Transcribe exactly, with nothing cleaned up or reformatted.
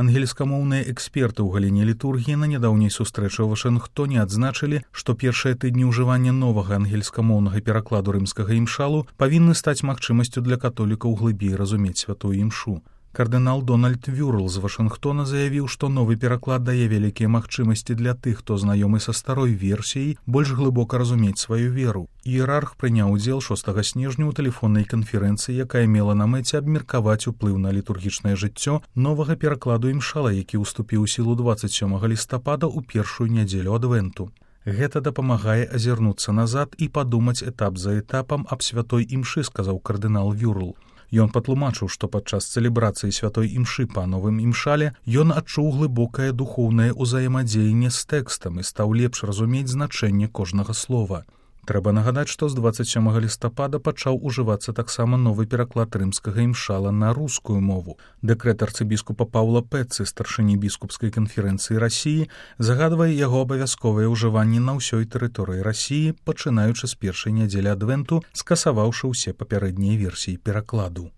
Ангельскамоўныя эксперты ў галіне літургіі на нядаўняй сустрэчы ў Вашынгтоне адзначылі, што першыя тыдні ўжывання новага ангельскамоўнага перакладу рымскага імшалу павінны стаць магчымасцю для католікаў глыбей разумець святую імшу. Кардынал Дональд Вюрл з Вашынгтона заявіў, што новы пераклад дае вялікія магчымасці для тых, хто знаёмы са старой версіяй, больш глыбока разумець сваю веру. Іерарх прыняў удзел шостага снежня ў тэлефоннай канферэнцыі, якая мела на мэце абмеркаваць уплыў на літургічнае жыццё новага перакладу імшала, які ўступіў у сілу дваццаць сёмага лістапада ў першую нядзелю адвенту. Гэта дапамагае азірнуцца назад і падумаць этап за этапам аб святой імшы, сказаў кардынал Вюрл. Ён патлумачыў, што падчас цэлебрацыі святой імшы па новым імшале ён адчуў глыбокае духоўнае ўзаемадзеянне з тэкстам і стаў лепш разумець значэнне кожнага слова. Трэба нагадаць, што з дваццаць сёмага лістапада пачаў ужывацца таксама новы пераклад рымскага імшала на рускую мову. Дэкрэт арцыбіскупа Паўла Пэцы, старшыні біскупскай канферэнцыі Расіі, загадвае яго абавязковае ўжыванне на ўсёй тэрыторыі Расіі, пачынаючы з першай нядзелі адвенту, скасаваўшы ўсе папярэднія версіі перакладу.